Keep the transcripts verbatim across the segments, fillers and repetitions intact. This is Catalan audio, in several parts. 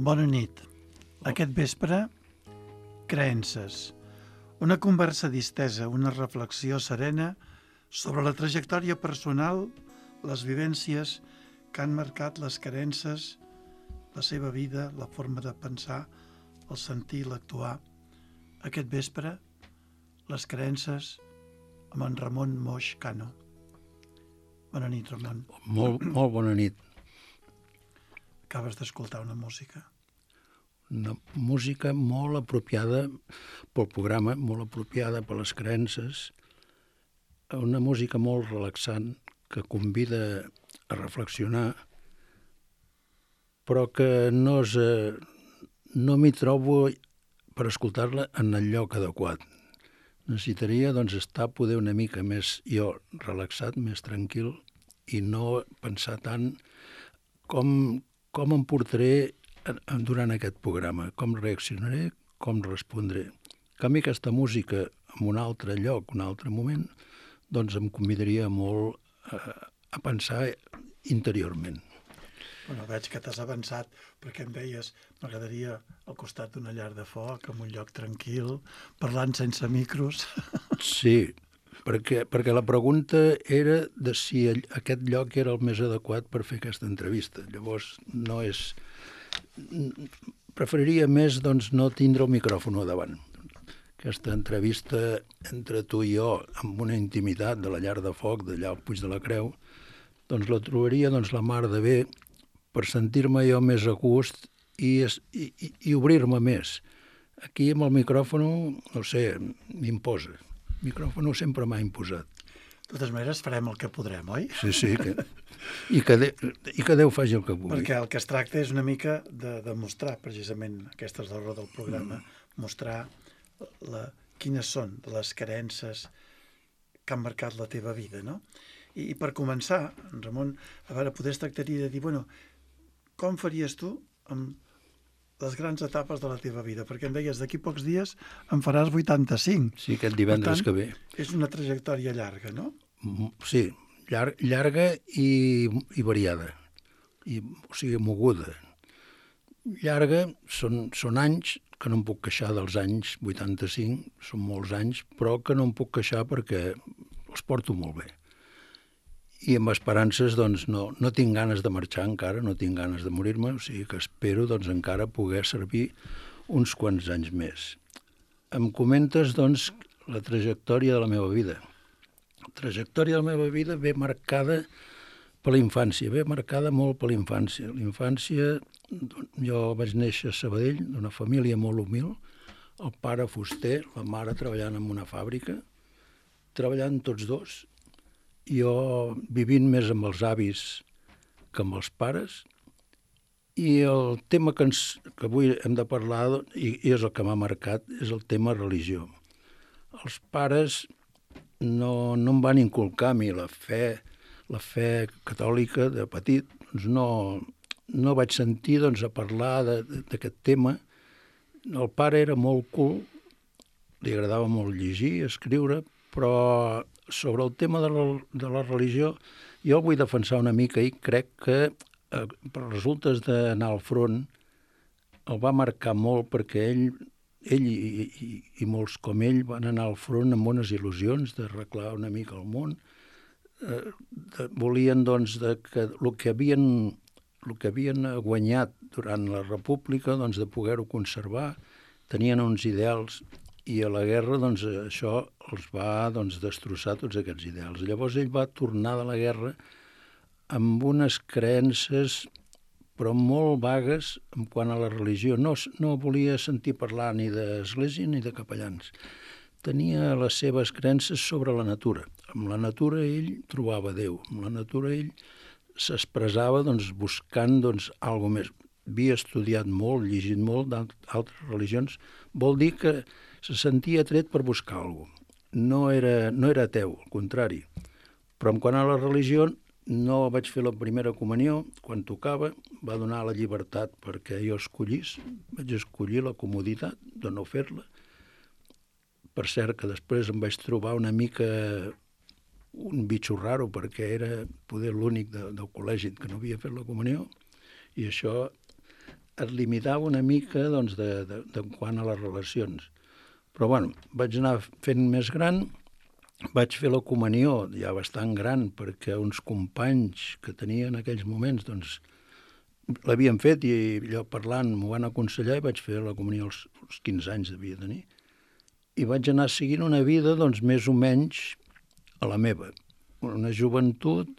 Bona nit. Aquest vespre, creences. Una conversa distesa, una reflexió serena sobre la trajectòria personal, les vivències que han marcat les creences, la seva vida, la forma de pensar, el sentir, l'actuar. Aquest vespre, les creences amb en Ramon Moix Cano. Bona nit, Ramon. Molt, molt bona nit. Acabes d'escoltar una música. Una música molt apropiada pel programa, molt apropiada per les creences, una música molt relaxant que convida a reflexionar, però que no, és, no m'hi trobo per escoltar-la en el lloc adequat. Necessitaria doncs, estar poder una mica més jo relaxat, més tranquil, i no pensar tant com, com em portaré durant aquest programa, com reaccionaré, com respondré. En canvi, aquesta música en un altre lloc, un altre moment, doncs em convidaria molt a, a pensar interiorment. Bueno, veig que t'has avançat perquè em deies m'agradaria al costat d'una llar de foc, en un lloc tranquil, parlant sense micros. Sí, perquè, perquè la pregunta era de si aquest lloc era el més adequat per fer aquesta entrevista. Llavors, no és... Preferiria més doncs, no tindre el micròfon a davant. Aquesta entrevista entre tu i jo, amb una intimitat de la llar de foc, d'allà al Puig de la Creu, doncs la trobaria doncs, la mar de bé per sentir-me jo més a gust i, i, i obrir-me més. Aquí amb el micròfon, no sé, m'imposa. El micròfon sempre m'ha imposat. De totes maneres, farem el que podrem, oi? Sí, sí, que, i, que de, i que Déu faci el que vulgui. Perquè el que es tracta és una mica de demostrar, precisament, aquesta és l'hora del programa, mm. mostrar la, quines són les creences que han marcat la teva vida, no? I, i per començar, Ramon, a veure, poder es tractaria de dir, bueno, com faries tu amb les grans etapes de la teva vida? Perquè em deies, d'aquí pocs dies en faràs vuitanta-cinc. Sí, aquest divendres tant, que ve. És una trajectòria llarga, no? Sí, llar, llarga i, i variada, i, o sigui, moguda. Llarga són, són anys que no em puc queixar dels anys vuitanta-cinc, són molts anys, però que no em puc queixar perquè els porto molt bé. I amb esperances, doncs, no, no tinc ganes de marxar encara, no tinc ganes de morir-me, o sigui que espero, doncs, encara poder servir uns quants anys més. Em comentes, doncs, la trajectòria de la meva vida. La trajectòria de la meva vida ve marcada per la infància, ve marcada molt per la infància. La infància, jo vaig néixer a Sabadell, d'una família molt humil, el pare fuster, la mare treballant en una fàbrica, treballant tots dos, jo vivint més amb els avis que amb els pares, i el tema que, ens, que avui hem de parlar, i, i és el que m'ha marcat, és el tema religió. Els pares no, no em van inculcar a mi la fe, la fe catòlica de petit, doncs no, no vaig sentir doncs, a parlar d'aquest tema. El pare era molt cul, li agradava molt llegir, escriure, però sobre el tema de la, de la religió jo el vull defensar una mica i crec que eh, per resultes d'anar al front el va marcar molt perquè ell, ell i, i, i molts com ell van anar al front amb bones il·lusions d'arreglar una mica el món. Eh, de, volien doncs de que el que havien, el que havien guanyat durant la República doncs, de poder-ho conservar, tenien uns ideals i a la guerra doncs, això els va doncs, destrossar tots aquests ideals. Llavors ell va tornar de la guerra amb unes creences però molt vagues en quant a la religió. No, no volia sentir parlar ni d'església ni de capellans. Tenia les seves creences sobre la natura. Amb la natura ell trobava Déu. Amb la natura ell s'expressava doncs, buscant doncs, alguna més. Havia estudiat molt, llegit molt d'altres religions. Vol dir que se sentia atret per buscar alguna cosa. No era, no era ateu, al contrari. Però en quant a la religió, no vaig fer la primera comunió. Quan tocava, va donar la llibertat perquè jo escollís. Vaig escollir la comoditat de no fer-la. Per cert, que després em vaig trobar una mica un bitxo raro, perquè era poder l'únic de, del col·legi que no havia fet la comunió. I això et limitava una mica doncs, de, de, de quant a les relacions. Però bueno, vaig anar fent més gran, vaig fer la comunió ja bastant gran perquè uns companys que tenia en aquells moments doncs, l'havien fet i allò parlant m'ho van aconsellar i vaig fer la comunió als, als quinze anys devia tenir. I vaig anar seguint una vida doncs, més o menys a la meva. Una joventut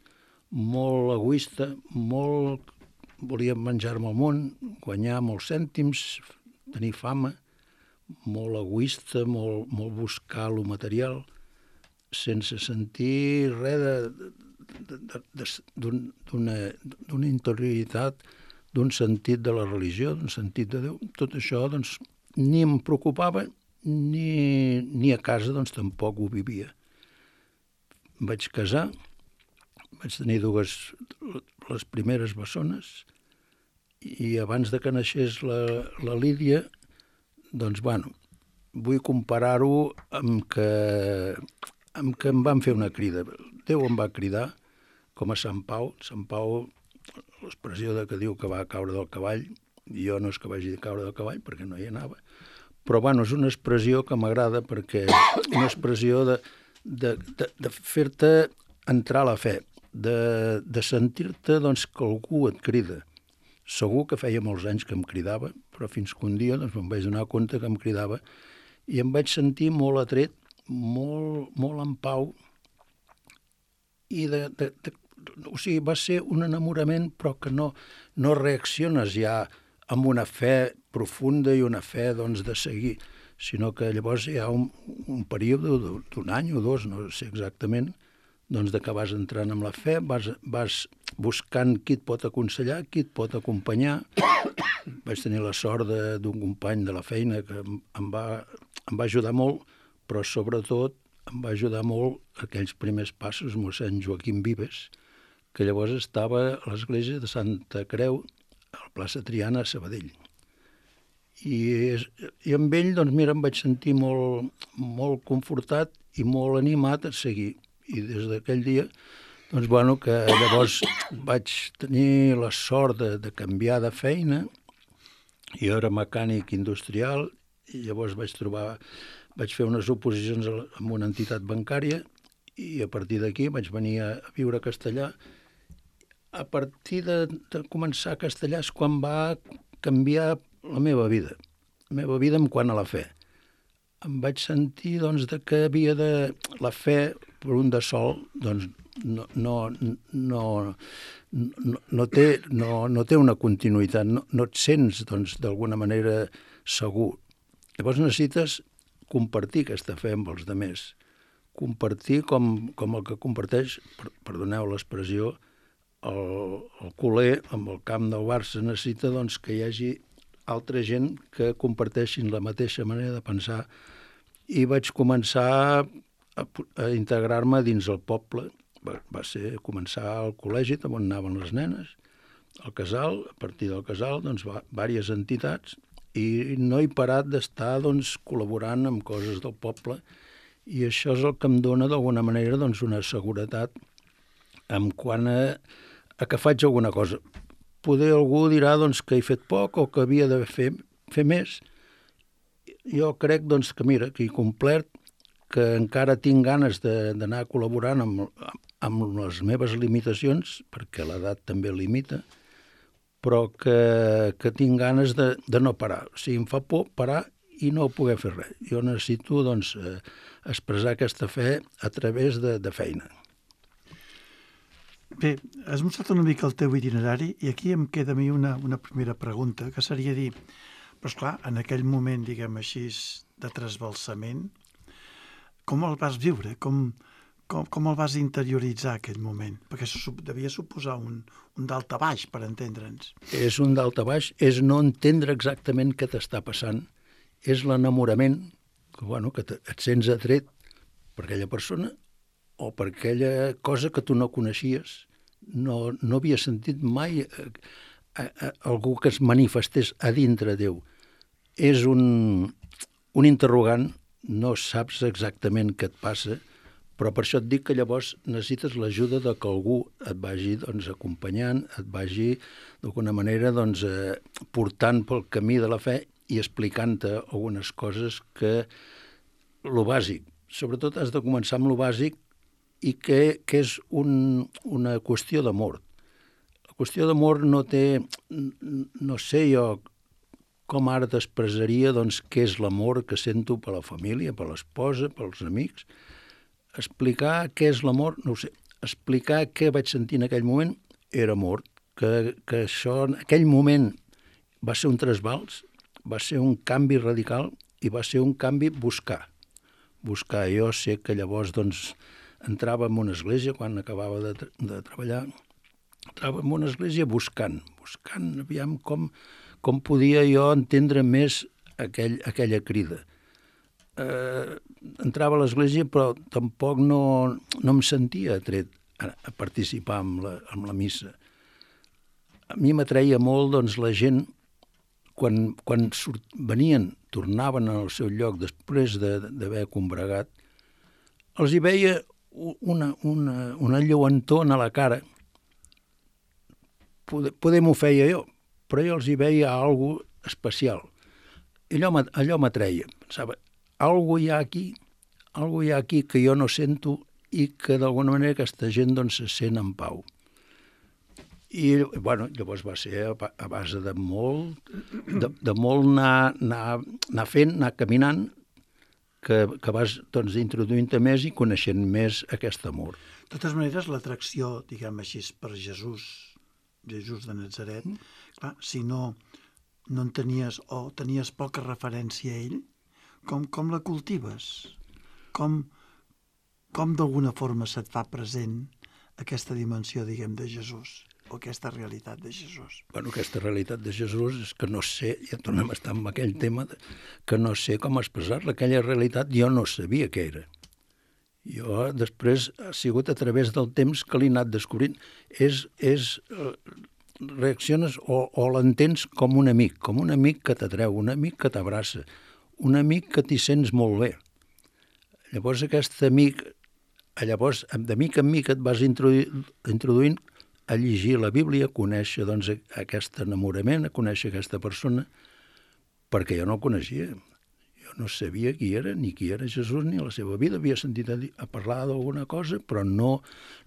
molt egoista, molt... volia menjar-me el món, guanyar molts cèntims, tenir fama, molt egoista, molt, molt buscar lo material, sense sentir res d'una interioritat, d'un sentit de la religió, d'un sentit de Déu. Tot això doncs, ni em preocupava, ni, ni a casa doncs, tampoc ho vivia. Em vaig casar, vaig tenir dues, les primeres bessones, i abans de que naixés la, la Lídia, doncs, bueno, vull comparar-ho amb que, amb que em van fer una crida. Déu em va cridar, com a Sant Pau. Sant Pau, l'expressió de que diu que va caure del cavall, jo no és que vagi a caure del cavall, perquè no hi anava, però, bueno, és una expressió que m'agrada perquè és una expressió de, de, de, de fer-te entrar a la fe, de, de sentir-te doncs, que algú et crida. Segur que feia molts anys que em cridava, però fins que un dia doncs, em vaig donar compte que em cridava i em vaig sentir molt atret, molt, molt en pau, i de, de, de, o sigui, va ser un enamorament, però que no, no reacciones ja amb una fe profunda i una fe doncs, de seguir, sinó que llavors hi ha un, un període d'un any o dos, no sé exactament, doncs de que vas entrant amb la fe, vas, vas buscant qui et pot aconsellar, qui et pot acompanyar. Vaig tenir la sort d'un company de la feina que em, em, va, em va ajudar molt, però sobretot em va ajudar molt aquells primers passos, mossèn Joaquim Vives, que llavors estava a l'església de Santa Creu, a la plaça Triana, a Sabadell. I, i amb ell, doncs mira, em vaig sentir molt, molt confortat i molt animat a seguir. I des d'aquell dia, doncs, bueno, que llavors vaig tenir la sort de, de canviar de feina. Jo era mecànic industrial i llavors vaig trobar, vaig fer unes oposicions amb una entitat bancària i a partir d'aquí vaig venir a viure a Castellà. A partir de, de començar a Castellà és quan va canviar la meva vida, la meva vida en quant a la fe. Em vaig sentir doncs, de que havia de... La fe, per un de sol, doncs, no, no, no, no, no, té, no, no té una continuïtat, no, no et sents doncs, d'alguna manera segur. Llavors necessites compartir aquesta fe amb els altres, compartir com, com el que comparteix, perdoneu l'expressió, el, el culer amb el camp del Barça necessita doncs, que hi hagi altra gent que comparteixin la mateixa manera de pensar i vaig començar a, a integrar-me dins el poble. Va, va ser començar al col·legi on anaven les nenes, al casal, a partir del casal, doncs, va, diverses entitats i no he parat d'estar doncs, col·laborant amb coses del poble i això és el que em dona d'alguna manera doncs, una seguretat en quant a, a que faig alguna cosa. Poder algú dirà doncs, que he fet poc o que havia de fer, fer més. Jo crec doncs, que, mira, que he complert, que encara tinc ganes d'anar col·laborant amb, amb les meves limitacions, perquè l'edat també limita, però que, que tinc ganes de, de no parar. O sigui, em fa por parar i no poder fer res. Jo necessito doncs, expressar aquesta fe a través de, de feina. Bé, has mostrat una mica el teu itinerari i aquí em queda a mi una, una primera pregunta, que seria dir, però esclar, en aquell moment, diguem així, de trasbalsament, com el vas viure? Com, com, com el vas interioritzar, aquell moment? Perquè això devia suposar un, un dalt a baix, per entendre'ns. És un dalt a baix, és no entendre exactament què t'està passant, és l'enamorament, que, bueno, que et sents atret per aquella persona, o per aquella cosa que tu no coneixies, no, no havia sentit mai a, a, a, algú que es manifestés a dintre Déu. És un, un interrogant, no saps exactament què et passa, Però per això et dic que llavors necessites l'ajuda de que algú et vagi doncs, acompanyant, et vagi d'alguna manera doncs, eh, portant pel camí de la fe i explicant-te algunes coses que lo bàsic. Sobretot has de començar amb lo bàsic i que, que és un, una qüestió d'amor. La qüestió d'amor no té, no sé jo com ara t'expressaria doncs, què és l'amor que sento per la família, per l'esposa, pels amics. Explicar què és l'amor, no ho sé. Explicar què vaig sentir en aquell moment era amor. Que, que això en aquell moment va ser un trasbals, va ser un canvi radical i va ser un canvi buscar. Buscar. Jo sé que llavors doncs, entrava en una església quan acabava de, de treballar, entrava en una església buscant, buscant aviam com, com podia jo entendre més aquell, aquella crida. Eh, entrava a l'església però tampoc no, no em sentia atret a, a participar en la, en la missa. A mi m'atreia molt doncs, la gent quan, quan surt, venien, tornaven al seu lloc després d'haver combregat, els hi veia una, una, una lluentor a la cara. Poder, poder m'ho feia jo, però jo els hi veia alguna cosa especial. I allò, allò m'atreia. Pensava, alguna hi ha aquí, alguna hi ha aquí que jo no sento i que d'alguna manera aquesta gent doncs, se sent en pau. I bueno, llavors va ser a, a base de molt, de, de molt anar, anar, anar fent, anar caminant, que, que vas doncs, introduint-te més i coneixent més aquest amor. De totes maneres, l'atracció, diguem així, per Jesús, Jesús de Natzaret, mm. clar, si no, no en tenies o tenies poca referència a ell, com, com la cultives? Com, com d'alguna forma se't fa present aquesta dimensió, diguem, de Jesús? O aquesta realitat de Jesús? Bueno, aquesta realitat de Jesús és que no sé, ja tornem a estar en aquell tema, de, que no sé com expressar-la. Aquella realitat jo no sabia què era. Jo després ha sigut a través del temps que l'he anat descobrint. És, és reacciones o, o l'entens com un amic, com un amic que t'atreu, un amic que t'abraça, un amic que t'hi sents molt bé. Llavors aquest amic, llavors de mica en mica et vas introduint, introduint a llegir la Bíblia, a conèixer doncs, aquest enamorament, a conèixer aquesta persona, perquè jo no el coneixia. Jo no sabia qui era, ni qui era Jesús, ni la seva vida. Havia sentit a, dir, a parlar d'alguna cosa, però no,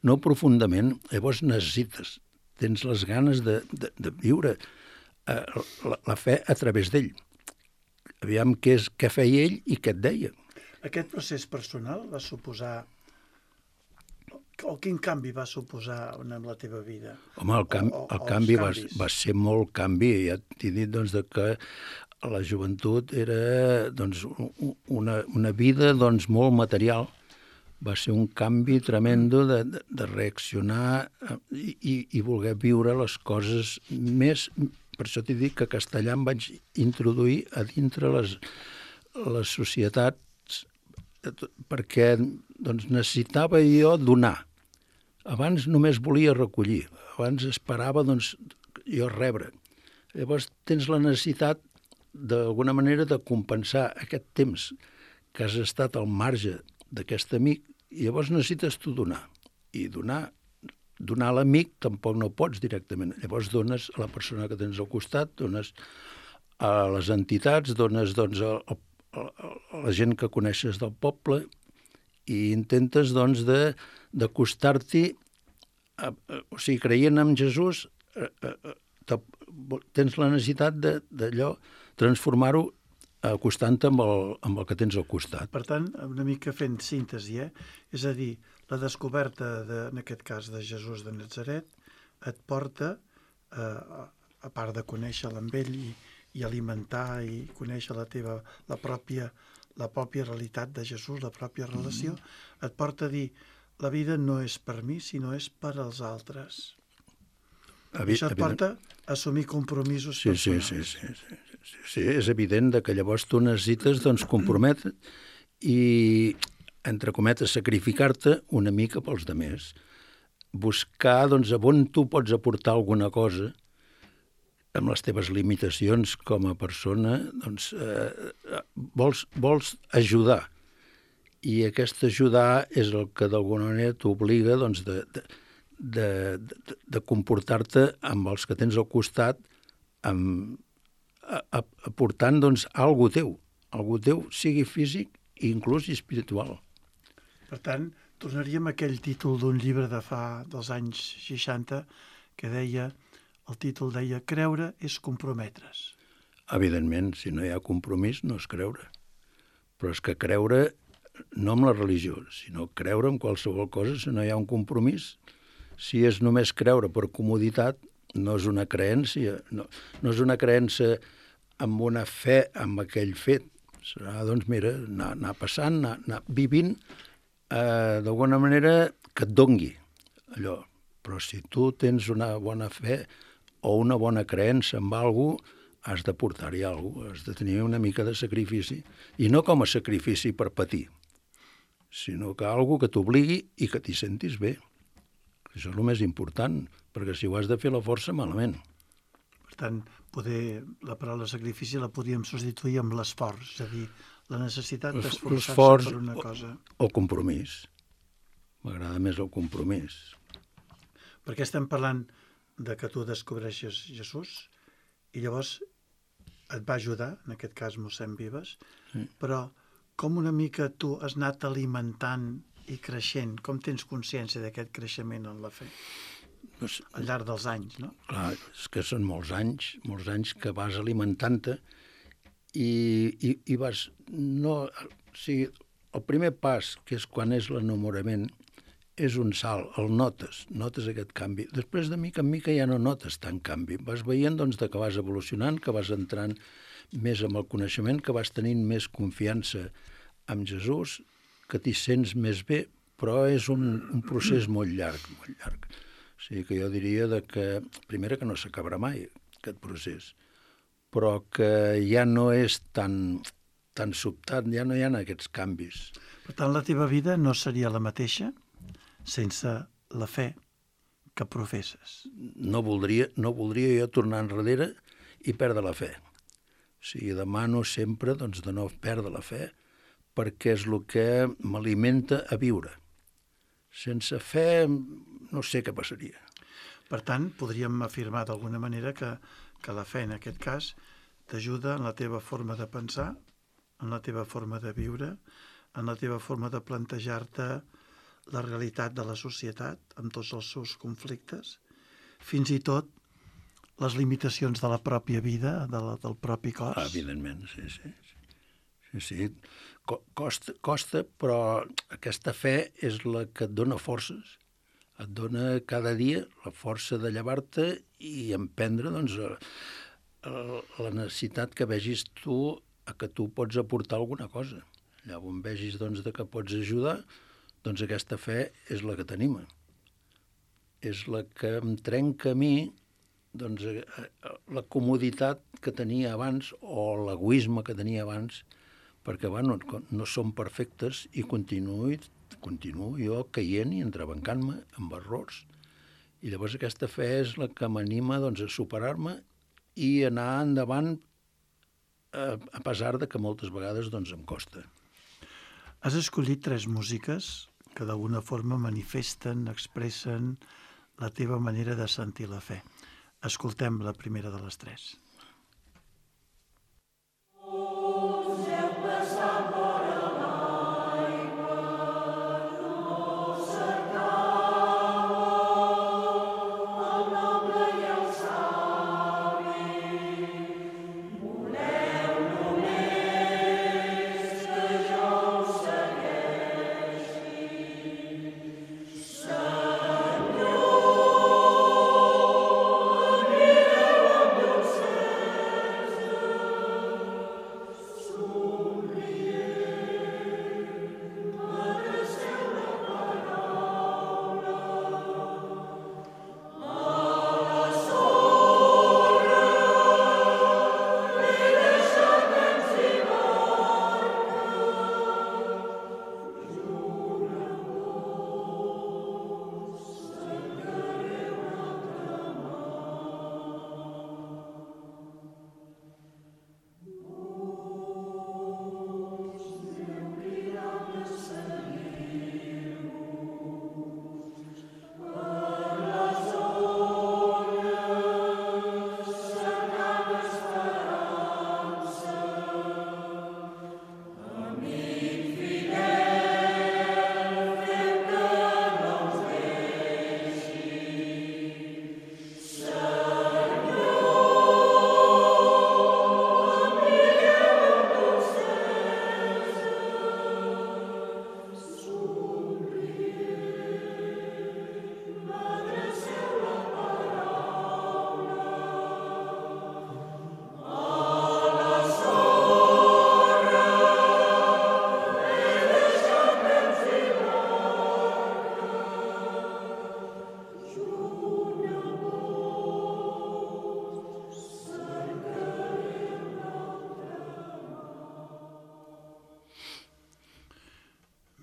no profundament. Llavors necessites, tens les ganes de, de, de viure eh, la, la fe a través d'ell. Aviam què, és, què feia ell i què et deia. Aquest procés personal va suposar o quin canvi va suposar en la teva vida? Home, el, cam o, o, el canvi va, va ser molt canvi. Ja t'he dit doncs, de que la joventut era doncs, una, una vida doncs, molt material. Va ser un canvi tremendo de, de, de reaccionar i, i, i voler viure les coses més... Per això t'he dit que a castellà em vaig introduir a dintre les, les societats perquè doncs, necessitava jo donar. Abans només volia recollir, abans esperava doncs, jo rebre. Llavors tens la necessitat d'alguna manera de compensar aquest temps que has estat al marge d'aquest amic i llavors necessites tu donar. I donar, donar a l'amic tampoc no pots directament. Llavors dones a la persona que tens al costat, dones a les entitats, dones doncs, a, a, a la gent que coneixes del poble i intentes doncs, de d'acostar-t'hi, o sigui, creient en Jesús, eh, eh, tens la necessitat d'allò, transformar-ho acostant-te amb, el, amb el que tens al costat. Per tant, una mica fent síntesi, eh? És a dir, la descoberta, de, en aquest cas, de Jesús de Natzaret, et porta, eh, a part de conèixer-lo amb ell i, i alimentar i conèixer la teva, la pròpia, la pròpia realitat de Jesús, la pròpia relació, mm. et porta a dir, la vida no és per mi, sinó és per als altres. Evi Això et porta a assumir compromisos sí, personals. Sí, sí, sí, sí, sí, sí. És evident que llavors tu necessites doncs, comprometre i, entre cometes, sacrificar-te una mica pels demés. Buscar doncs, on tu pots aportar alguna cosa amb les teves limitacions com a persona, doncs, eh, vols, vols ajudar. i aquest ajudar és el que d'alguna manera t'obliga doncs, de, de, de, de, de comportar-te amb els que tens al costat, amb, a, a, aportant doncs, algo teu, algo teu, sigui físic i inclús espiritual. Per tant, tornaríem a aquell títol d'un llibre de fa dels anys seixanta que deia, el títol deia Creure és comprometre's. Evidentment, si no hi ha compromís no és creure. Però és que creure no amb la religió, sinó creure en qualsevol cosa si no hi ha un compromís. Si és només creure per comoditat, no és una creència, no, no és una creença amb una fe en aquell fet. Serà, doncs, mira, anar, anar passant, anar, anar vivint, eh, d'alguna manera que et dongui allò. Però si tu tens una bona fe o una bona creença en alguna cosa, has de portar-hi alguna cosa, has de tenir una mica de sacrifici. I no com a sacrifici per patir, sinó que alguna que t'obligui i que t'hi sentis bé. Això és el més important, perquè si ho has de fer la força, malament. Per tant, poder, la paraula sacrifici la podríem substituir amb l'esforç, és a dir, la necessitat d'esforçar-se per una cosa. O, o compromís. M'agrada més el compromís. Perquè estem parlant de que tu descobreixes Jesús i llavors et va ajudar, en aquest cas mossèn Vives, sí. Però com una mica tu has anat alimentant i creixent, com tens consciència d'aquest creixement en la fe? Pues, al llarg dels anys, no? Clar, és que són molts anys, molts anys que vas alimentant-te i, i, i vas... No, o sigui, el primer pas, que és quan és l'enamorament, és un salt, el notes, notes aquest canvi. Després de mica en mica ja no notes tant canvi. Vas veient doncs, que vas evolucionant, que vas entrant més amb el coneixement, que vas tenint més confiança en Jesús, que t'hi sents més bé, però és un, un procés molt llarg, molt llarg. O sigui que jo diria de que, primera, que no s'acabarà mai, aquest procés, però que ja no és tan, tan sobtat, ja no hi ha aquests canvis. Per tant, la teva vida no seria la mateixa sense la fe que professes. No voldria, no voldria jo tornar enrere i perdre la fe. O sigui, demano sempre doncs, de no perdre la fe, perquè és el que m'alimenta a viure. Sense fe no sé què passaria. Per tant, podríem afirmar d'alguna manera que, que la fe, en aquest cas, t'ajuda en la teva forma de pensar, en la teva forma de viure, en la teva forma de plantejar-te la realitat de la societat, amb tots els seus conflictes, fins i tot les limitacions de la pròpia vida, de la, del propi cos. Ah, evidentment, sí, sí. sí, sí. Costa, costa, però aquesta fe és la que et dona forces. Et dona cada dia la força de llevar-te i emprendre doncs, la necessitat que vegis tu a que tu pots aportar alguna cosa. Llavors vegis doncs, que pots ajudar, doncs aquesta fe és la que t'anima. És la que em trenca a mi doncs, la comoditat que tenia abans o l'egoisme que tenia abans, perquè bueno, no som perfectes i continuo, continuo jo caient i entrebancant-me amb errors. I llavors aquesta fe és la que m'anima doncs, a superar-me i anar endavant a, a pesar de que moltes vegades doncs, em costa. Has escollit tres músiques que d'alguna forma manifesten, expressen la teva manera de sentir la fe. Escoltem la primera de les tres.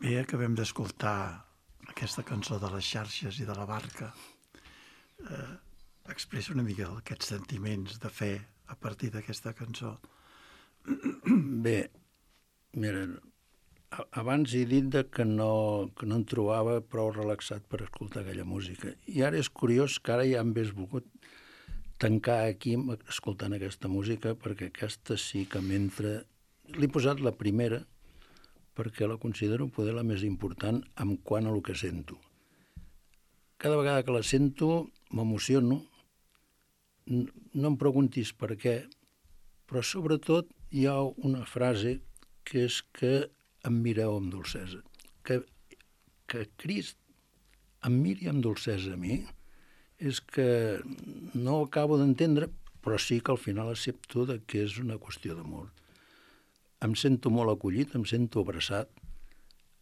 Bé, acabem d'escoltar aquesta cançó de les xarxes i de la barca. Eh, expressa una mica aquests sentiments de fe a partir d'aquesta cançó. Bé, mira, abans he dit que no, que no em trobava prou relaxat per escoltar aquella música. I ara és curiós que ara ja em hagués volgut tancar aquí escoltant aquesta música, perquè aquesta sí que m'entra... L'he posat la primera perquè la considero poder la més important en quant a el que sento. Cada vegada que la sento m'emociono, no em preguntis per què, però sobretot hi ha una frase que és que em mireu amb dolcesa. Que, que Crist em miri amb dolcesa a mi és que no ho acabo d'entendre, però sí que al final accepto que és una qüestió d'amor. Em sento molt acollit, em sento abraçat,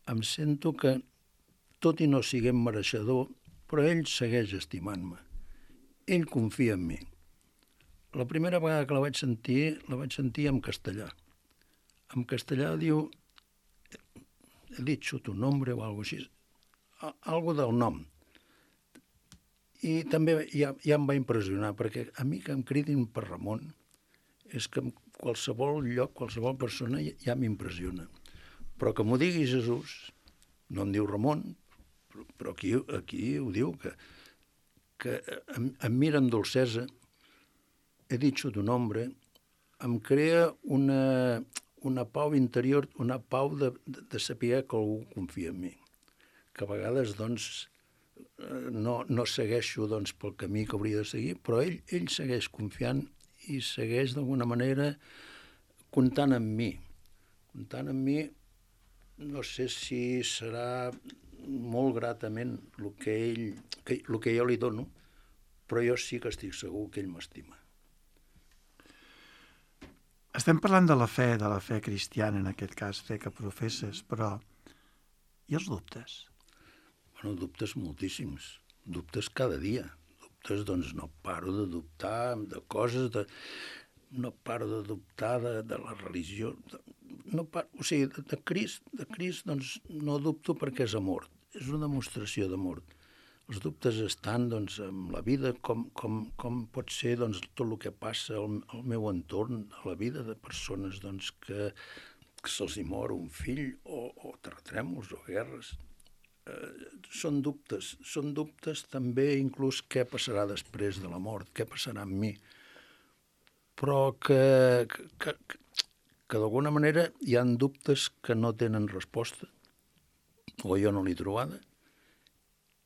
em sento que, tot i no siguem mereixedor, però ell segueix estimant-me. Ell confia en mi. La primera vegada que la vaig sentir, la vaig sentir en castellà. En castellà diu, he dicho tu nombre o alguna cosa així, algo del nom. I també ja, ja em va impressionar, perquè a mi que em cridin per Ramon és que en qualsevol lloc, qualsevol persona ja m'impressiona. Però que m'ho digui Jesús, no em diu Ramon, però aquí, aquí ho diu, que, que em, em mira amb dolcesa, he dit tu nombre, em crea una, una pau interior, una pau de, de, de saber que algú confia en mi. Que a vegades, doncs, no, no segueixo doncs, pel camí que hauria de seguir, però ell, ell segueix confiant i segueix d'alguna manera comptant en mi. Comptant en mi, no sé si serà molt gratament el que, ell, que, el que jo li dono, però jo sí que estic segur que ell m'estima. Estem parlant de la fe, de la fe cristiana, en aquest cas, fe que professes, però i els dubtes? Bueno, dubtes moltíssims, dubtes cada dia. Dubtes, doncs, no paro de dubtar de coses, de... no paro de dubtar de, de la religió. De... No paro... O sigui, de, de Crist, de Crist, doncs, no dubto perquè és amor, és una demostració d'amor. Els dubtes estan, doncs, en la vida, com, com, com pot ser, doncs, tot el que passa al, al meu entorn, a la vida de persones, doncs, que, que se'ls hi mor un fill, o, o terratrèmols, o guerres. Eh, són dubtes, són dubtes també inclús què passarà després de la mort, què passarà amb mi, però que, que, que, que d'alguna manera hi ha dubtes que no tenen resposta, o jo no l'he trobada,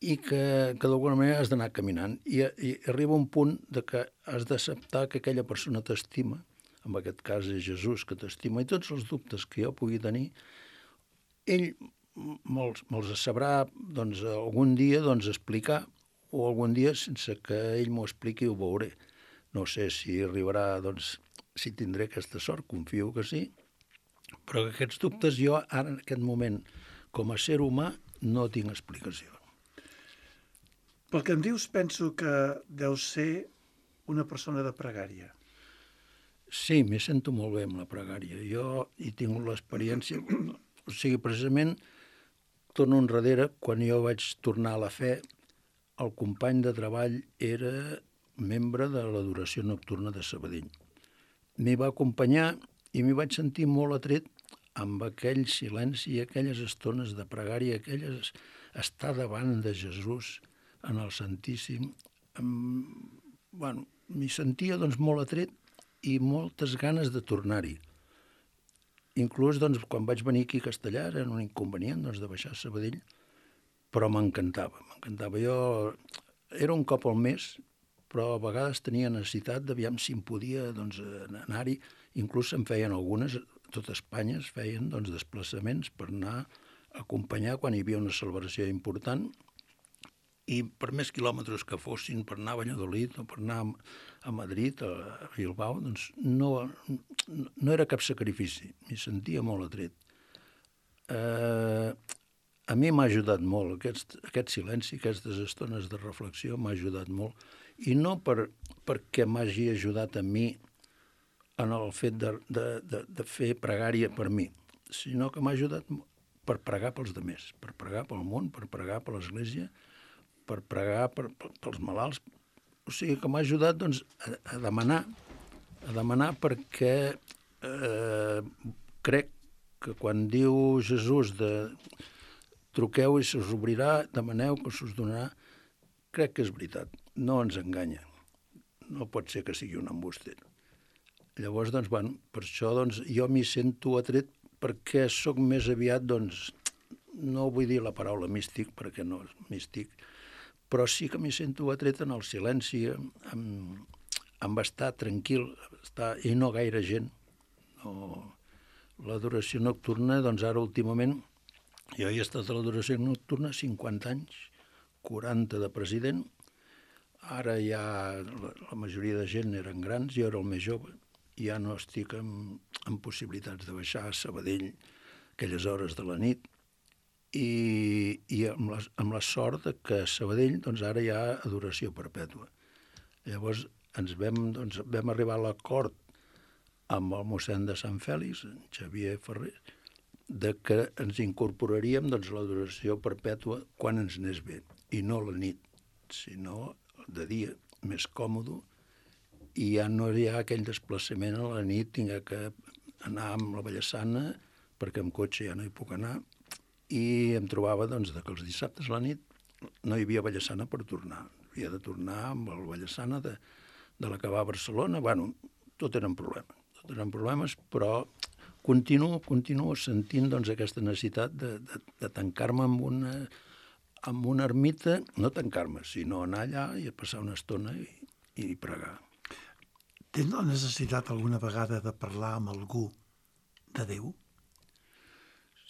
i que, que d'alguna manera has d'anar caminant, i, i arriba un punt de que has d'acceptar que aquella persona t'estima, en aquest cas és Jesús que t'estima, i tots els dubtes que jo pugui tenir, ell me'ls, me'ls sabrà doncs, algun dia doncs, explicar, o algun dia sense que ell m'ho expliqui ho veuré. No sé si arribarà, doncs, si tindré aquesta sort, confio que sí, però que aquests dubtes jo ara en aquest moment, com a ser humà, no tinc explicació. Pel que em dius, penso que deu ser una persona de pregària. Sí, m'hi sento molt bé amb la pregària. Jo hi tinc l'experiència, o sigui, precisament, torno enrere, quan jo vaig tornar a la fe, el company de treball era membre de l'adoració nocturna de Sabadell. M'hi va acompanyar i m'hi vaig sentir molt atret amb aquell silenci i aquelles estones de pregària, aquelles estar davant de Jesús en el Santíssim. Bueno, m'hi sentia doncs, molt atret i moltes ganes de tornar-hi. Inclús doncs, quan vaig venir aquí a Castellar era un inconvenient doncs, de baixar a Sabadell, però m'encantava, m'encantava. Jo era un cop al mes, però a vegades tenia necessitat d'aviam si em podia doncs, anar-hi. Inclús se'n feien algunes, a tot Espanya es feien doncs, desplaçaments per anar a acompanyar quan hi havia una celebració important, i per més quilòmetres que fossin, per anar a Valladolid o per anar a Madrid, a Bilbao, doncs no, no era cap sacrifici, m'hi sentia molt atret. Eh, a mi m'ha ajudat molt, aquest, aquest silenci, aquestes estones de reflexió m'ha ajudat molt, i no per, perquè m'hagi ajudat a mi en el fet de, de, de, de fer pregària per mi, sinó que m'ha ajudat per pregar pels demés, per pregar pel món, per pregar per l'Església, per pregar per, per, pels malalts. O sigui que m'ha ajudat doncs, a, a demanar, a demanar perquè eh, crec que quan diu Jesús de truqueu i se us obrirà, demaneu que se us donarà, crec que és veritat, no ens enganya. No pot ser que sigui un embuster. Llavors, doncs, bueno, per això doncs, jo m'hi sento atret perquè sóc més aviat, doncs, no vull dir la paraula místic, perquè no és místic, però sí que m'hi sento atret en el silenci, amb, amb estar tranquil, estar, i no gaire gent. No. L'adoració nocturna, doncs ara últimament, jo he estat a l'adoració nocturna cinquanta anys, quaranta de president, ara ja la, la majoria de gent eren grans, jo era el més jove, ja no estic en, en possibilitats de baixar a Sabadell aquelles hores de la nit, i, i amb, la, amb la sort de que a Sabadell doncs, ara hi ha adoració perpètua. Llavors ens vam, doncs, vam arribar a l'acord amb el mossèn de Sant Fèlix, en Xavier Ferrer, de que ens incorporaríem doncs, l'adoració perpètua quan ens anés bé, i no la nit, sinó de dia, més còmode, i ja no hi ha aquell desplaçament a la nit, tinc que anar amb la Vallassana, perquè amb cotxe ja no hi puc anar, i em trobava doncs, que els dissabtes a la nit no hi havia Vallassana per tornar. Havia de tornar amb el Vallassana de, de la que va a Barcelona. Bueno, tot eren problemes, tot eren problemes, però continuo, continuo sentint doncs, aquesta necessitat de, de, de tancar-me amb una, amb una ermita, no tancar-me, sinó anar allà i passar una estona i, i pregar. Tens la necessitat alguna vegada de parlar amb algú de Déu?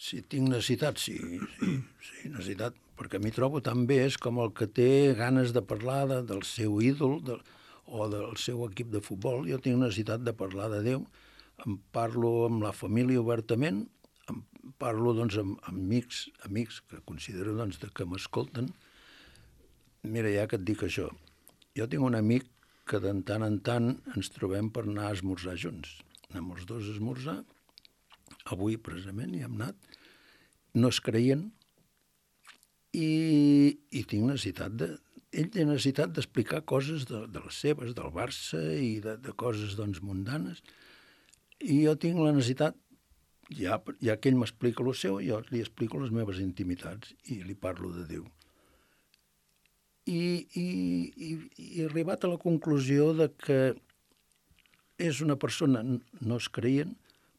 Si tinc necessitat, sí, sí, sí, necessitat, perquè m'hi trobo tan bé, és com el que té ganes de parlar de, del seu ídol de, o del seu equip de futbol. Jo tinc necessitat de parlar de Déu, em parlo amb la família obertament, em parlo doncs, amb amics, amics que considero doncs, que m'escolten. Mira, ja que et dic això, jo tinc un amic que de tant en tant ens trobem per anar a esmorzar junts. Anem els dos a esmorzar, avui precisament hi hem anat, no es creien, i, i tinc necessitat de... Ell té necessitat d'explicar coses de, de les seves, del Barça i de, de coses doncs, mundanes, i jo tinc la necessitat, ja, ja que ell m'explica el seu, jo li explico les meves intimitats i li parlo de Déu. I, i, i, i he arribat a la conclusió de que és una persona, no es creien,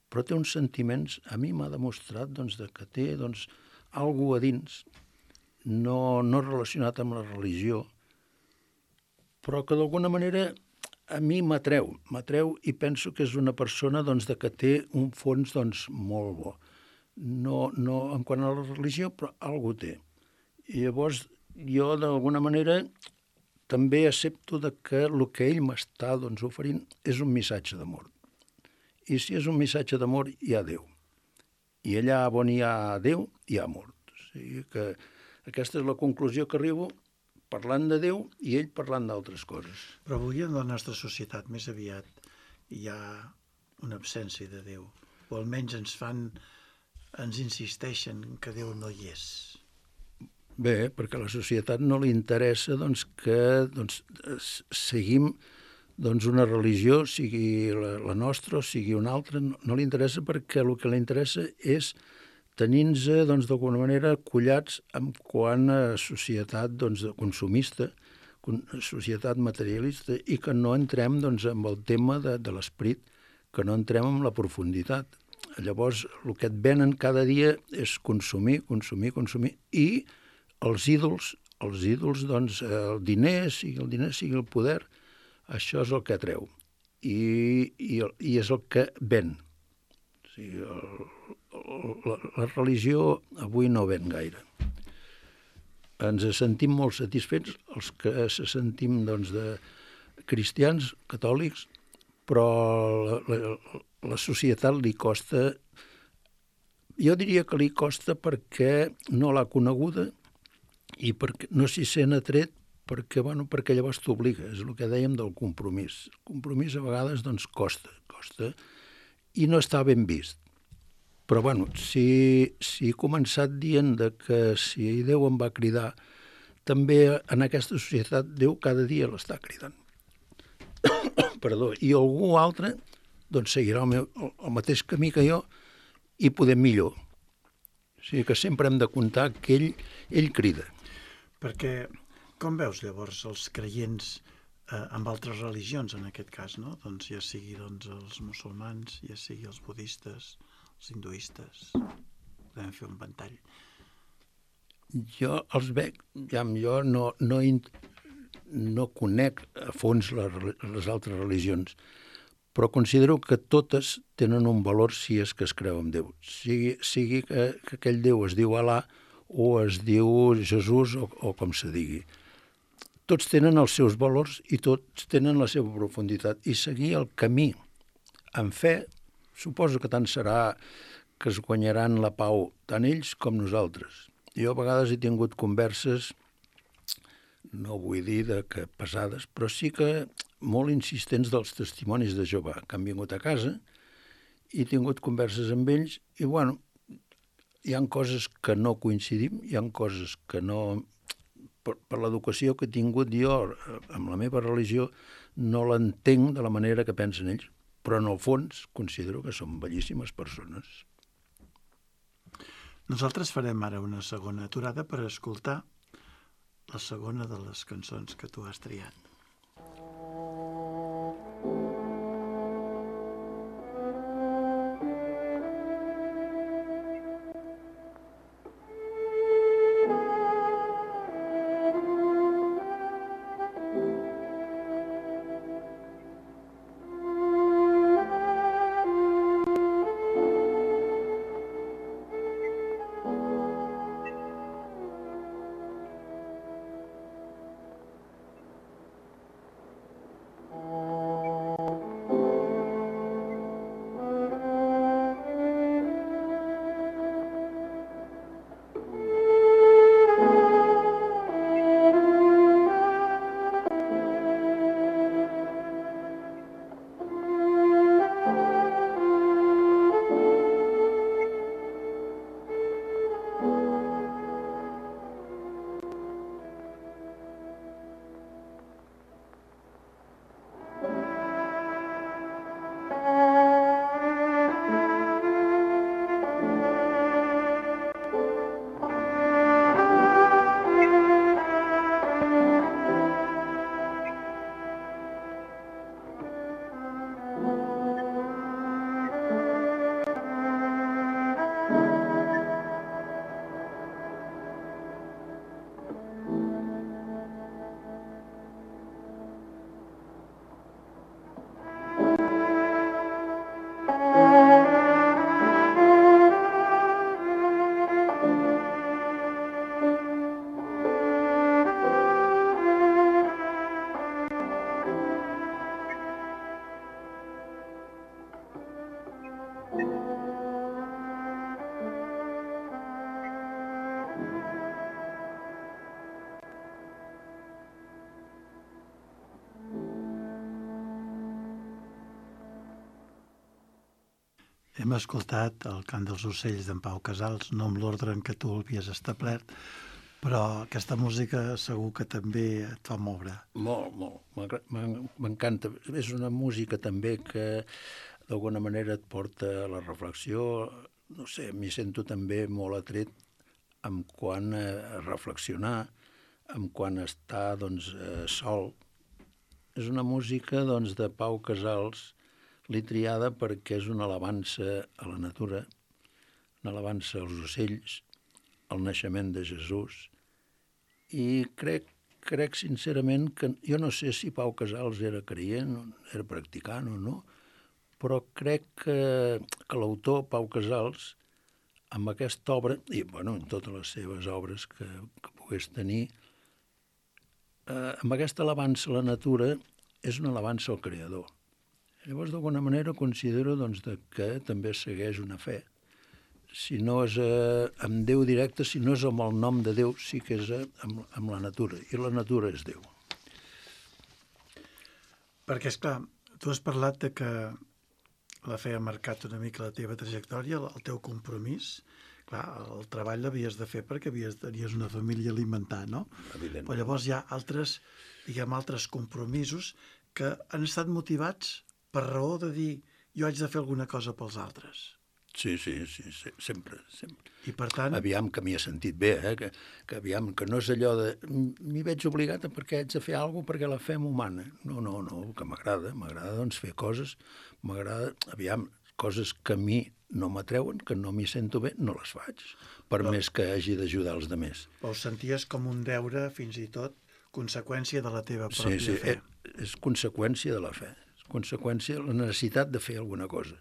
però té uns sentiments, a mi m'ha demostrat doncs, de que té doncs, alguna a dins, no, no relacionat amb la religió, però que d'alguna manera a mi m'atreu, m'atreu i penso que és una persona doncs, de que té un fons doncs, molt bo. No, no en quant a la religió, però alguna té. I llavors jo d'alguna manera també accepto de que el que ell m'està doncs, oferint és un missatge d'amor. I si és un missatge d'amor, hi ha Déu. I allà on hi ha Déu, hi ha amor. O sigui que aquesta és la conclusió que arribo parlant de Déu i ell parlant d'altres coses. Però avui en la nostra societat més aviat hi ha una absència de Déu. O almenys ens fan, ens insisteixen que Déu no hi és. Bé, perquè a la societat no li interessa doncs, que doncs, seguim doncs, una religió, sigui la, la nostra o sigui una altra, no, no li interessa perquè el que li interessa és tenir-nos doncs, d'alguna manera collats en quant a societat doncs, consumista, societat materialista, i que no entrem doncs, amb el tema de, de l'esperit, que no entrem en la profunditat. Llavors, el que et venen cada dia és consumir, consumir, consumir, i els ídols, els ídols, doncs, el diner, sigui el diner, sigui el poder, això és el que atreu. I, i, i és el que ven. O sigui, el, la, la religió avui no ven gaire. Ens sentim molt satisfets, els que se sentim doncs, de cristians, catòlics, però la, la, la societat li costa, jo diria que li costa perquè no l'ha coneguda i perquè no s'hi sent atret, perquè, bueno, perquè llavors t'obliga, és el que dèiem del compromís. El compromís a vegades doncs, costa, costa, i no està ben vist. Però, bueno, si, si he començat dient de que si Déu em va cridar, també en aquesta societat Déu cada dia l'està cridant. Perdó. I algú altre doncs seguirà el, meu, el, el mateix camí que jo i poder millor. O sigui que sempre hem de comptar que ell, ell crida. Perquè com veus llavors els creients eh, amb altres religions, en aquest cas, no? Doncs ja sigui doncs, els musulmans, ja sigui els budistes, els hinduistes, podem fer un ventall. Jo els veig, ja, jo no, no, no conec a fons les, les altres religions, però considero que totes tenen un valor si és que es creu en Déu. Sigui, sigui que, que aquell Déu es diu Alà o es diu Jesús o, o com se digui. Tots tenen els seus valors i tots tenen la seva profunditat. I seguir el camí amb fe, suposo que tant serà que es guanyaran la pau tant ells com nosaltres. Jo a vegades he tingut converses, no vull dir de que pesades, però sí que molt insistents dels testimonis de Jehovà, que han vingut a casa i he tingut converses amb ells i, bueno, hi ha coses que no coincidim, hi ha coses que no... Per, per l'educació que he tingut jo amb la meva religió no l'entenc de la manera que pensen ells, però en el fons considero que són bellíssimes persones. Nosaltres farem ara una segona aturada per escoltar la segona de les cançons que tu has triat. Hem escoltat el cant dels ocells d'en Pau Casals, no amb l'ordre en què tu l'havies establert, però aquesta música segur que també et fa moure. Molt, molt. M'encanta. És una música també que d'alguna manera et porta a la reflexió. No sé, m'hi sento també molt atret amb quan a reflexionar, amb quan estar doncs, sol. És una música doncs, de Pau Casals, l'he triada perquè és una alabança a la natura, una alabança als ocells, al naixement de Jesús, i crec, crec sincerament que, jo no sé si Pau Casals era creient, era practicant o no, però crec que, que l'autor, Pau Casals, amb aquesta obra, i bueno, en totes les seves obres que, que pogués tenir, eh, amb aquesta alabança a la natura és una alabança al Creador. Llavors, d'alguna manera, considero doncs, que també segueix una fe. Si no és eh, amb Déu directe, si no és amb el nom de Déu, sí que és eh, amb, amb la natura. I la natura és Déu. Perquè, esclar, tu has parlat de que la fe ha marcat una mica la teva trajectòria, el teu compromís. Clar, el treball l'havies de fer perquè havies, tenies una família a alimentar, no? Evident. Però llavors hi ha altres, diguem, altres compromisos que han estat motivats per raó de dir jo haig de fer alguna cosa pels altres. Sí, sí, sí, sí, sempre, sempre. I per tant... Aviam que m'hi ha sentit bé, eh? que, que aviam que no és allò de m'hi veig obligat perquè haig de fer alguna cosa perquè la fe m'humana. No, no, no, que m'agrada, m'agrada doncs fer coses, m'agrada, aviam, coses que a mi no m'atreuen, que no m'hi sento bé, no les faig, per Però... més que hagi d'ajudar els altres. Però ho senties com un deure, fins i tot, conseqüència de la teva pròpia sí, sí, fe. És, és conseqüència de la fe, és conseqüència de la necessitat de fer alguna cosa.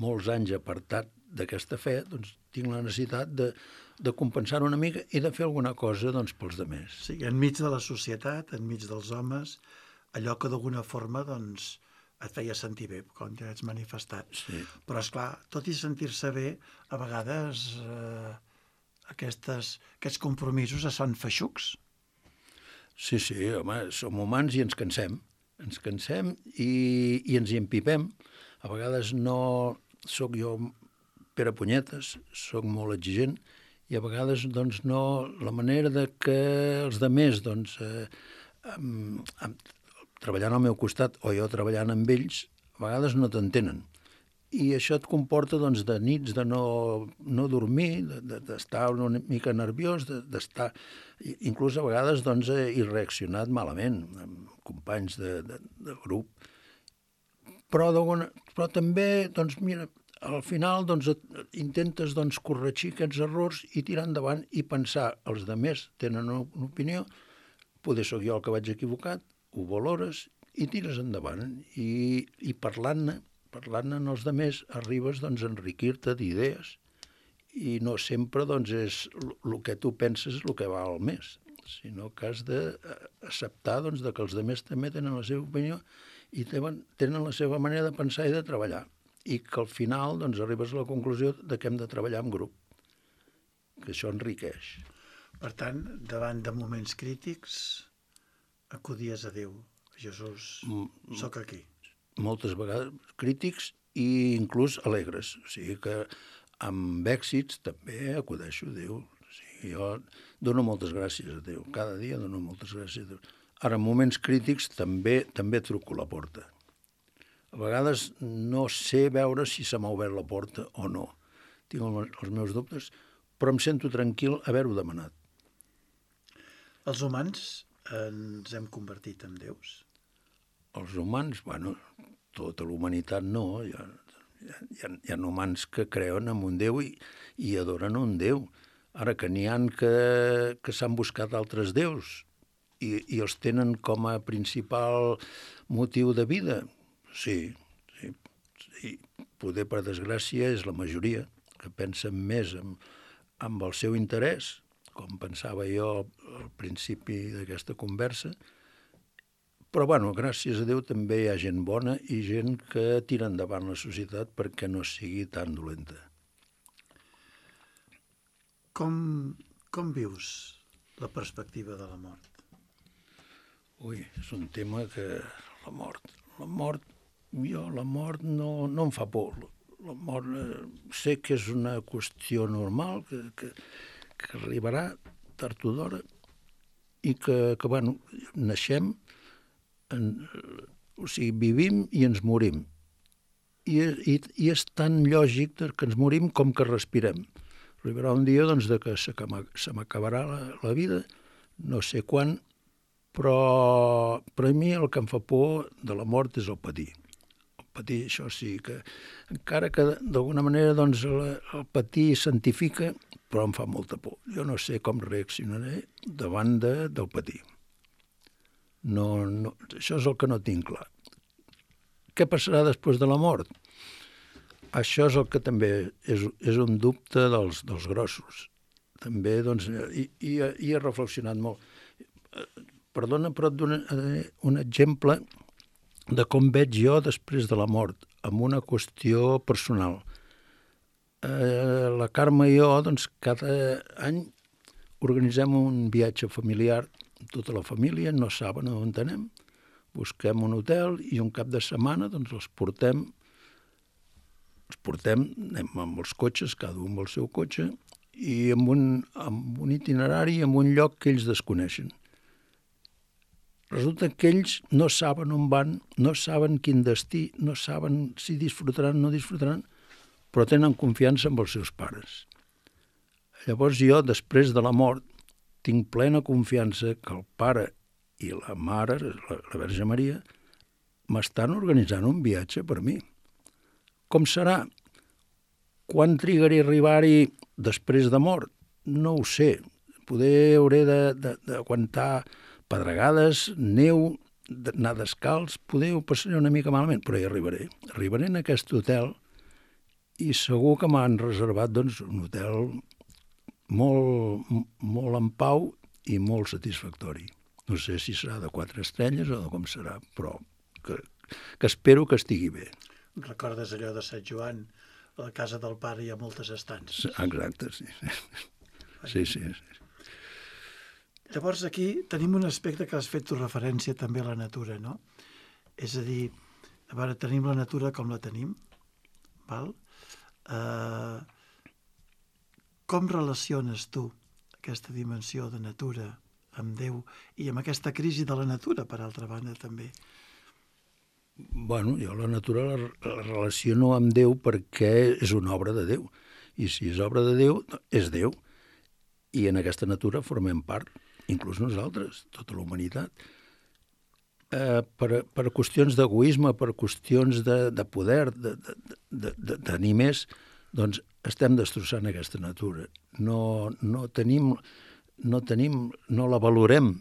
Molts anys apartat d'aquesta fe, doncs tinc la necessitat de, de compensar una mica i de fer alguna cosa doncs, pels altres. Sí, enmig de la societat, enmig dels homes, allò que d'alguna forma doncs, et feia sentir bé, com ja ets manifestat. Sí. Però, esclar, tot i sentir-se bé, a vegades eh, aquestes, aquests compromisos es fan feixucs. Sí, sí, home, som humans i ens cansem. Ens cansem i, i ens hi empipem. A vegades no sóc jo Pere Punyetes, sóc molt exigent i a vegades doncs, no, la manera de que els altres doncs, eh, amb, amb, treballant al meu costat o jo treballant amb ells, a vegades no t'entenen. I això et comporta doncs, de nits de no, no dormir, d'estar de, una mica nerviós, d'estar inclús a vegades doncs, he reaccionat malament amb companys de, de, de grup. Però, però també, doncs, mira, al final doncs, intentes doncs, corregir aquests errors i tirar endavant i pensar els altres tenen una opinió, poder sóc jo el que vaig equivocat, ho valores i tires endavant. I, i parlant-ne, parlant-ne amb els altres, arribes doncs, a enriquir-te d'idees i no sempre doncs, és el que tu penses el que val més, sinó que has d'acceptar doncs, que els altres també tenen la seva opinió i tenen la seva manera de pensar i de treballar. I que al final doncs, arribes a la conclusió de que hem de treballar en grup, que això enriqueix. Per tant, davant de moments crítics, acudies a Déu. Jesús, mm, sóc aquí. Moltes vegades crítics i inclús alegres. O sigui que amb èxits també acudeixo a Déu. O sigui, jo dono moltes gràcies a Déu. Cada dia dono moltes gràcies a Déu. Ara, en moments crítics també també truco a la porta. A vegades no sé veure si se m'ha obert la porta o no. Tinc els meus dubtes, però em sento tranquil haver-ho demanat. Els humans ens hem convertit en déus? Els humans, bueno, tota la humanitat no. Hi ha, hi ha, hi ha humans que creuen en un déu i, i adoren un déu. Ara que n'hi ha que, que s'han buscat altres déus i, i els tenen com a principal motiu de vida. Sí, sí, sí. Poder, per desgràcia, és la majoria que pensen més en, en el seu interès, com pensava jo al principi d'aquesta conversa. Però, bueno, gràcies a Déu també hi ha gent bona i gent que tira endavant la societat perquè no sigui tan dolenta. Com, com vius la perspectiva de la mort? Ui, és un tema que... La mort, la mort... Jo, la mort no, no em fa por. La mort eh, sé que és una qüestió normal, que, que, que arribarà tard o d'hora i que, que bueno, naixem, en, o sigui, vivim i ens morim. I, i, i és tan lògic que ens morim com que respirem. Arribarà un dia doncs, de que se, se m'acabarà la, la vida, no sé quan, però, però a mi el que em fa por de la mort és el patir. Patir, això sí, que encara que d'alguna manera doncs, el, el patir santifica, però em fa molta por. Jo no sé com reaccionaré davant de, del patir. No, no, això és el que no tinc clar. Què passarà després de la mort? Això és el que també és, és un dubte dels, dels grossos. També, doncs, i, i, i he reflexionat molt. Perdona, però et donaré un exemple de com veig jo després de la mort, amb una qüestió personal. Eh, la Carme i jo, doncs, cada any organitzem un viatge familiar, tota la família, no saben on anem, busquem un hotel i un cap de setmana doncs, els portem els portem, anem amb els cotxes, cada un amb el seu cotxe, i amb un, amb un itinerari, amb un lloc que ells desconeixen. Resulta que ells no saben on van, no saben quin destí, no saben si disfrutaran o no disfrutaran, però tenen confiança en els seus pares. Llavors jo, després de la mort, tinc plena confiança que el pare i la mare, la, la Verge Maria, m'estan organitzant un viatge per mi. Com serà? Quan trigaré a arribar-hi després de mort? No ho sé. Poder hauré d'aguantar pedregades, neu, anar descalç, poder ho passaré una mica malament, però hi arribaré. Arribaré en aquest hotel i segur que m'han reservat doncs, un hotel molt, molt en pau i molt satisfactori. No sé si serà de quatre estrelles o de com serà, però que, que espero que estigui bé. Recordes allò de Sant Joan, a la casa del pare hi ha moltes estances. Exacte, sí. Sí, sí. sí. Llavors aquí tenim un aspecte que has fet tu referència també a la natura, no? És a dir, a veure, tenim la natura com la tenim, val? Uh, com relaciones tu aquesta dimensió de natura amb Déu i amb aquesta crisi de la natura, per altra banda, també? Bueno, jo la natura la, la relaciono amb Déu perquè és una obra de Déu. I si és obra de Déu, és Déu. I en aquesta natura formem part, inclús nosaltres, tota la humanitat. Eh, per, per qüestions d'egoisme, per qüestions de, de poder, de, de, de, de tenir més, doncs estem destrossant aquesta natura. No, no tenim, no tenim, no la valorem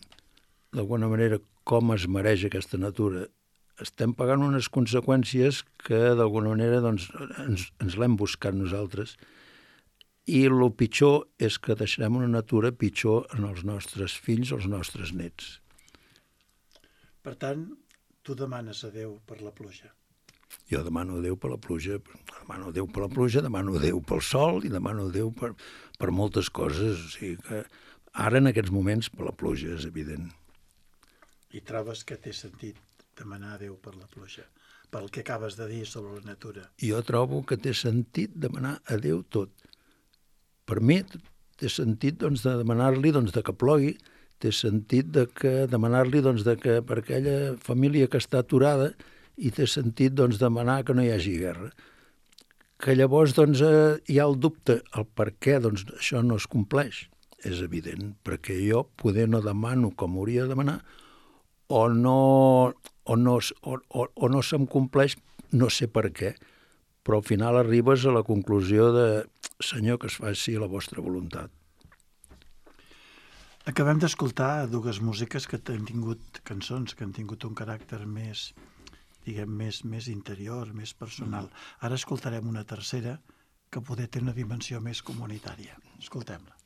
d'alguna manera com es mereix aquesta natura. Estem pagant unes conseqüències que d'alguna manera doncs, ens, ens l'hem buscat nosaltres. I el pitjor és que deixarem una natura pitjor en els nostres fills o els nostres nets. Per tant, tu demanes a Déu per la pluja. Jo demano a Déu per la pluja, demano a Déu per la pluja, demano a Déu pel sol i demano a Déu per, per moltes coses. O sigui que ara, en aquests moments, per la pluja, és evident. I trobes que té sentit demanar a Déu per la pluja, pel que acabes de dir sobre la natura? Jo trobo que té sentit demanar a Déu tot. Per mi té sentit doncs, de demanar-li doncs, de que plogui, té sentit de que demanar-li doncs, de que per aquella família que està aturada i té sentit doncs, demanar que no hi hagi guerra. Que llavors doncs, eh, hi ha el dubte, el per què doncs, això no es compleix. És evident, perquè jo poder no demano com hauria de demanar o no, o no, o, o, o no se'm compleix, no sé per què, però al final arribes a la conclusió de Senyor, que es faci la vostra voluntat. Acabem d'escoltar dues músiques que han tingut cançons, que han tingut un caràcter més, diguem, més, més interior, més personal. Ara escoltarem una tercera que poder té una dimensió més comunitària. Escoltem-la.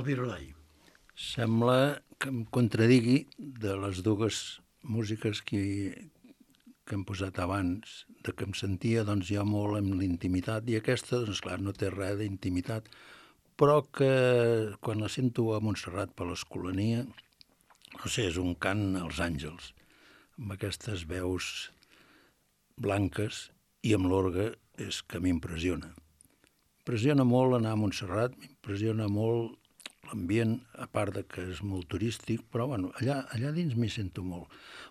del Virolai. Sembla que em contradigui de les dues músiques que, que hem posat abans, de que em sentia doncs, jo molt en l'intimitat, i aquesta, doncs clar, no té res d'intimitat, però que quan la sento a Montserrat per l'Escolania, no sé, és un cant als àngels, amb aquestes veus blanques i amb l'orgue, és que m'impressiona. M'impressiona molt anar a Montserrat, m'impressiona molt l'ambient, a part de que és molt turístic, però bueno, allà, allà dins m'hi sento molt,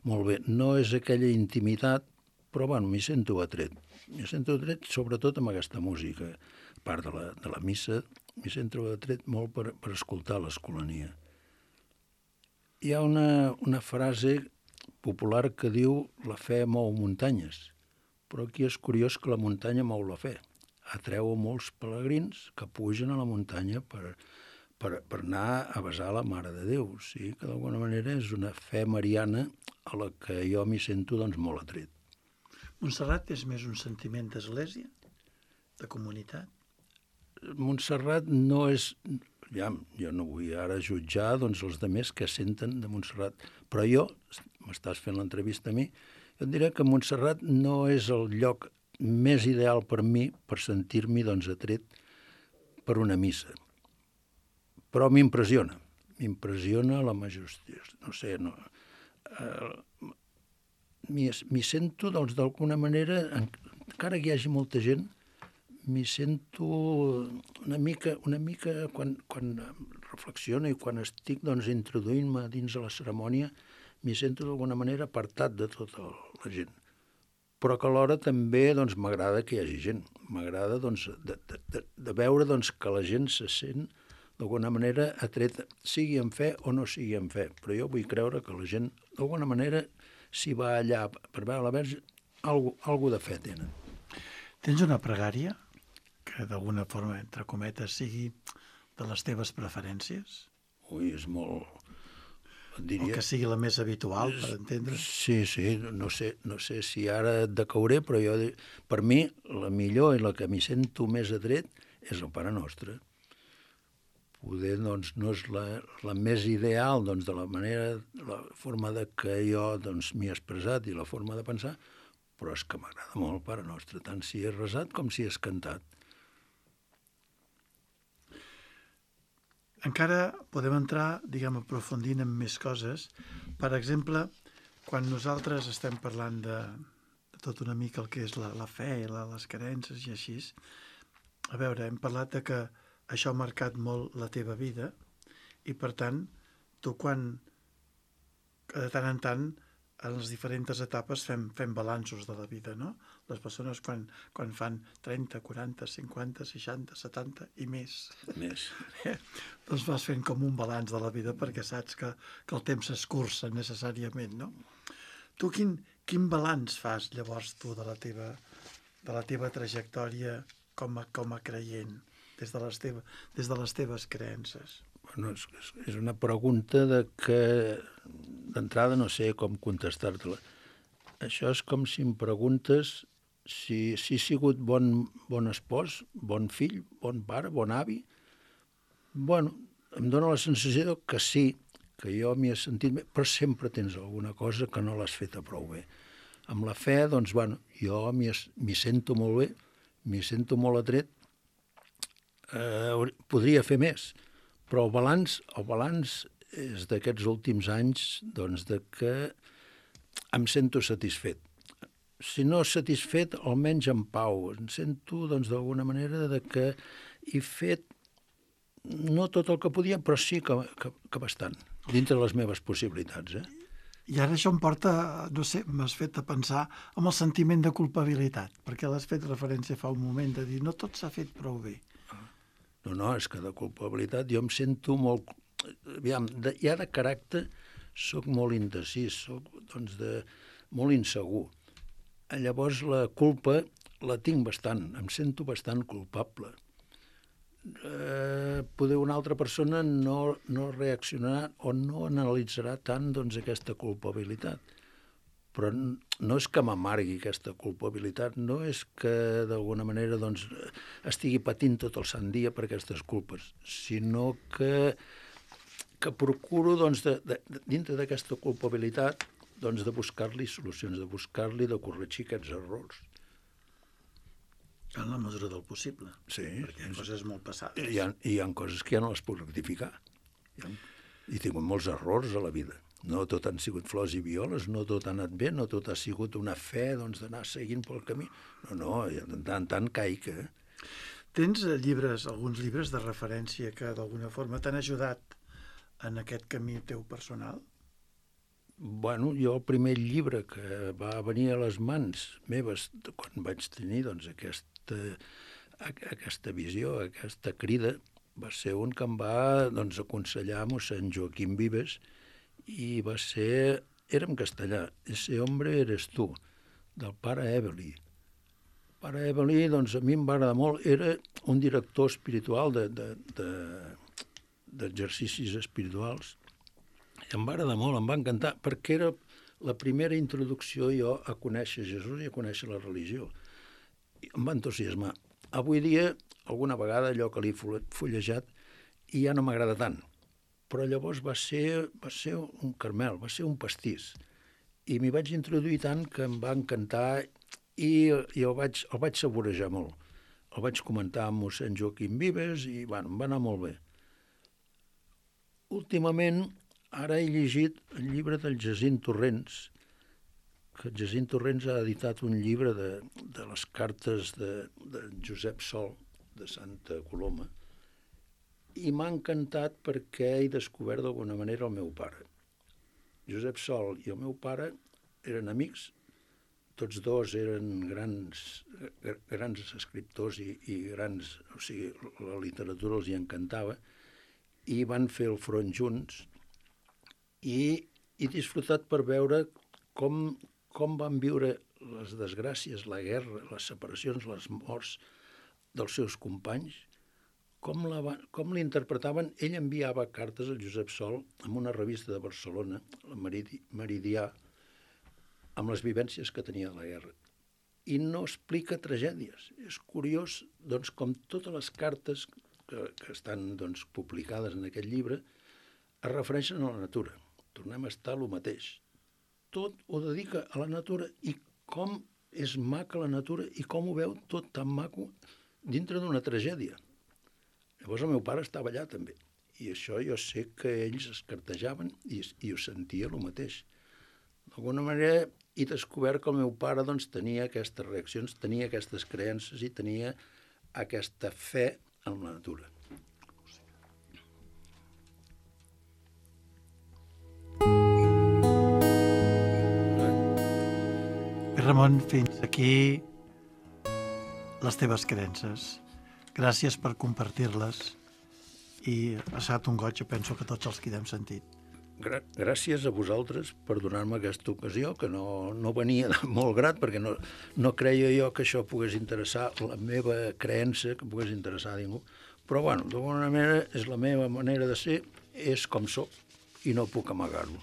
molt bé. No és aquella intimitat, però bueno, m'hi sento atret. M'hi sento atret sobretot amb aquesta música. A part de la, de la missa, m'hi sento atret molt per, per escoltar l'Escolania. Hi ha una, una frase popular que diu la fe mou muntanyes, però aquí és curiós que la muntanya mou la fe. Atreu a molts pelegrins que pugen a la muntanya per, per, per anar a besar la Mare de Déu. O sigui que d'alguna manera és una fe mariana a la que jo m'hi sento doncs, molt atret. Montserrat és més un sentiment d'església, de comunitat? Montserrat no és... Ja, jo no vull ara jutjar doncs, els altres que senten de Montserrat, però jo, m'estàs fent l'entrevista a mi, jo et diré que Montserrat no és el lloc més ideal per mi per sentir-m'hi doncs, atret per una missa. Però m'impressiona, m'impressiona la majestia. No sé, no... Eh, m'hi sento, doncs, d'alguna manera, encara que hi hagi molta gent, m'hi sento una mica, una mica quan, quan reflexiono i quan estic doncs, introduint-me dins de la cerimònia, m'hi sento d'alguna manera apartat de tota la gent. Però que alhora també doncs, m'agrada que hi hagi gent. M'agrada doncs, de, de, de, de veure doncs, que la gent se sent d'alguna manera atreta, sigui en fe o no sigui en fe. Però jo vull creure que la gent d'alguna manera, si va allà per veure la Verge, algo, algo de fe tenen. Tens una pregària que d'alguna forma, entre cometes, sigui de les teves preferències? Ui, és molt... Diria... O que sigui la més habitual, per entendre? Sí, sí, no sé, no sé si ara et decauré, però jo, per mi, la millor i la que m'hi sento més atret és el Pare Nostre. Poder, doncs, no és la, la més ideal, doncs, de la manera, la forma de que jo, doncs, m'hi he expressat i la forma de pensar, però és que m'agrada molt el Pare Nostre, tant si és resat com si és cantat. Encara podem entrar, diguem, aprofundint en més coses. Per exemple, quan nosaltres estem parlant de, de tot una mica el que és la, la fe, la, les creences i així, a veure, hem parlat de que això ha marcat molt la teva vida i, per tant, tu quan, de tant en tant, en les diferents etapes fem, fem balanços de la vida, no? Les persones quan, quan fan trenta, quaranta, cinquanta, seixanta, setanta i més. Més. Eh? Doncs vas fent com un balanç de la vida perquè saps que, que el temps s'escurça necessàriament, no? Tu quin, quin balanç fas llavors tu de la teva, de la teva trajectòria com a, com a creient, des de les, teva, des de les teves creences? Bueno, és, és una pregunta de que d'entrada no sé com contestar-te-la. Això és com si em preguntes si, si he sigut bon, bon espòs, bon fill, bon pare, bon avi. Bueno, em dóna la sensació que sí, que jo m'hi he sentit bé, però sempre tens alguna cosa que no l'has feta prou bé. Amb la fe, doncs, bueno, jo m'hi m'hi sento molt bé, m'hi sento molt atret, eh, podria fer més, però el balanç, el balanç és d'aquests últims anys, doncs, de que em sento satisfet. Si no satisfet, almenys en pau. Em sento, doncs, d'alguna manera de que he fet no tot el que podia, però sí que, que, que bastant, dintre de les meves possibilitats. Eh? I ara això em porta, no sé, m'has fet a pensar en el sentiment de culpabilitat, perquè l'has fet referència fa un moment de dir no tot s'ha fet prou bé. No, no, és que de culpabilitat jo em sento molt... Aviam, de, ja de caràcter soc molt indecis, soc doncs, de, molt insegur. Llavors la culpa la tinc bastant, em sento bastant culpable. Eh, poder una altra persona no, no reaccionarà o no analitzarà tant doncs, aquesta culpabilitat. però no és que m'amargui aquesta culpabilitat, no és que d'alguna manera doncs, estigui patint tot el sant dia per aquestes culpes, sinó que, que procuro, doncs, de, de, dintre d'aquesta culpabilitat, doncs, de buscar-li solucions, de buscar-li de corregir aquests errors. En la mesura del possible, sí, perquè hi ha coses molt passades. Hi ha, hi ha coses que ja no les puc rectificar. Hi ha, he tingut molts errors a la vida. No tot han sigut flors i violes, no tot ha anat bé, no tot ha sigut una fe doncs, d'anar seguint pel camí. No, no, de tant en tant caic. Eh? Tens llibres, alguns llibres de referència que d'alguna forma t'han ajudat en aquest camí teu personal? Bueno, jo el primer llibre que va venir a les mans meves quan vaig tenir doncs, aquesta, aquesta visió, aquesta crida, va ser un que em va doncs, aconsellar mossèn Joaquim Vives, i va ser, era en castellà, Ese hombre eres tu, del pare Ebeli. El pare Ebeli, doncs, a mi em va agradar molt, era un director espiritual d'exercicis de, de, de, espirituals, i em va agradar molt, em va encantar, perquè era la primera introducció jo a conèixer Jesús i a conèixer la religió. I em va entusiasmar. Avui dia, alguna vegada, allò que l'he fullejat, i ja no m'agrada tant. Però llavors va ser, va ser un caramel, va ser un pastís. I m'hi vaig introduir tant que em va encantar i, i el, vaig, el vaig saborejar molt. El vaig comentar amb mossèn Joaquim Vives i bueno, em va anar molt bé. Últimament, ara he llegit el llibre del Jacint Torrents, que el Jacint Torrents ha editat un llibre de, de les cartes de, de Josep Sol, de Santa Coloma, i m'ha encantat perquè he descobert d'alguna manera el meu pare. Josep Sol i el meu pare eren amics, tots dos eren grans, grans escriptors i, i grans, o sigui, la literatura els hi encantava, i van fer el front junts, i he disfrutat per veure com, com van viure les desgràcies, la guerra, les separacions, les morts dels seus companys, com, la va, com l'interpretaven. Ell enviava cartes al Josep Sol amb una revista de Barcelona, la Meridi, Meridià, amb les vivències que tenia de la guerra. I no explica tragèdies. És curiós, doncs, com totes les cartes que, que estan doncs, publicades en aquest llibre es refereixen a la natura. Tornem a estar el mateix. Tot ho dedica a la natura i com és maca la natura i com ho veu tot tan maco dintre d'una tragèdia. Llavors el meu pare estava allà també, i això jo sé que ells es cartejaven i, i ho sentia el mateix. D'alguna manera he descobert que el meu pare doncs, tenia aquestes reaccions, tenia aquestes creences i tenia aquesta fe en la natura. Ramon, fins aquí les teves creences. Gràcies per compartir-les i ha estat un goig, penso que tots els que n'hem sentit. Gràcies a vosaltres per donar-me aquesta ocasió, que no, no venia de molt grat, perquè no, no creia jo que això pogués interessar la meva creença, que pogués interessar a ningú. Però, bueno, d'alguna manera és la meva manera de ser, és com soc i no puc amagar-lo.